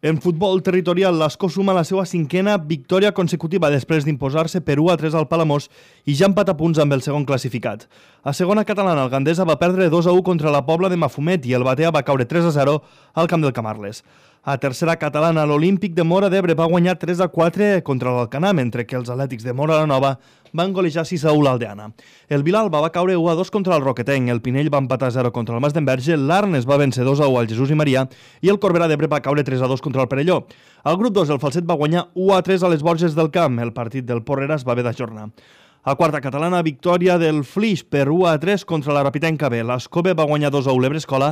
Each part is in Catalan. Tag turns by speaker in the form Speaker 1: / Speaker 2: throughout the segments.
Speaker 1: En futbol territorial, l'Escó suma la seva cinquena victòria consecutiva després d'imposar-se per 1-3 al Palamós i ja empat a punts amb el segon classificat. A segona catalana, el Gandesa va perdre 2-1 contra la Pobla de Mafumet i el Batea va caure 3-0 al camp del Camarles. A tercera catalana, l'Olímpic de Móra d'Ebre va guanyar 3-4 contra l'Alcanar, mentre que els Atlètics de Móra la Nova van golejar 6-1 l'Aldeana. El Vilalba va caure 1-2 contra el Roquetenc, el Pinell va empatar 0 contra el Mas d'Enverge, l'Arnes va vèncer 2-1 al Jesús i Maria i el Corbera d'Ebre va caure 3-2 contra el Perelló. Al grup 2, el Falset va guanyar 1-3 a les Borges del Camp. El partit del Porreres va haver d'ajornar. A quarta catalana, victòria del Flix per 1-3 contra la Rapitenca B. L'Escove va guanyar 2-1 l'Ebrescola,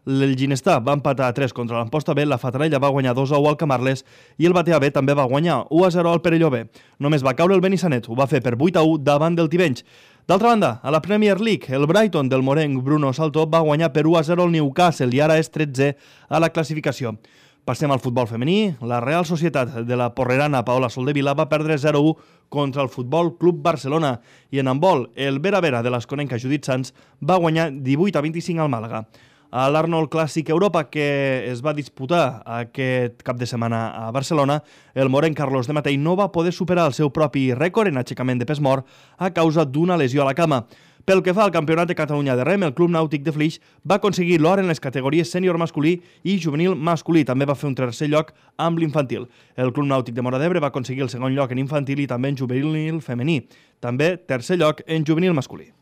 Speaker 1: el Ginestà va empatar 3 contra l'Amposta B, la Fatarella va guanyar 2-1 al Camarles i el Batea B també va guanyar 1-0 al Perelló B. Només va caure el Benissanet, ho va fer per 8-1 davant del Tivenys. D'altra banda, a la Premier League, el Brighton del morenc Bruno Salto va guanyar per 1-0 al Newcastle i ara és 13è a la classificació. Passem al futbol femení. La Real Societat de la porrerana Paola Soldevila va perdre 0-1 contra el Futbol Club Barcelona i en handbol, el Vera-Vera de l'esconenca Judit Sanz va guanyar 18-25 al Màlaga. A l'Arnold Clàssic Europa, que es va disputar aquest cap de setmana a Barcelona, el morenc Carlos de Matei no va poder superar el seu propi rècord en aixecament de pes mort a causa d'una lesió a la cama. Pel que fa al Campionat de Catalunya de Rem, el Club Nàutic de Flix va aconseguir l'or en les categories sènior masculí i juvenil masculí. També va fer un tercer lloc amb l'infantil. El Club Nàutic de Móra d'Ebre va aconseguir el segon lloc en infantil i també en juvenil femení. També tercer lloc en juvenil masculí.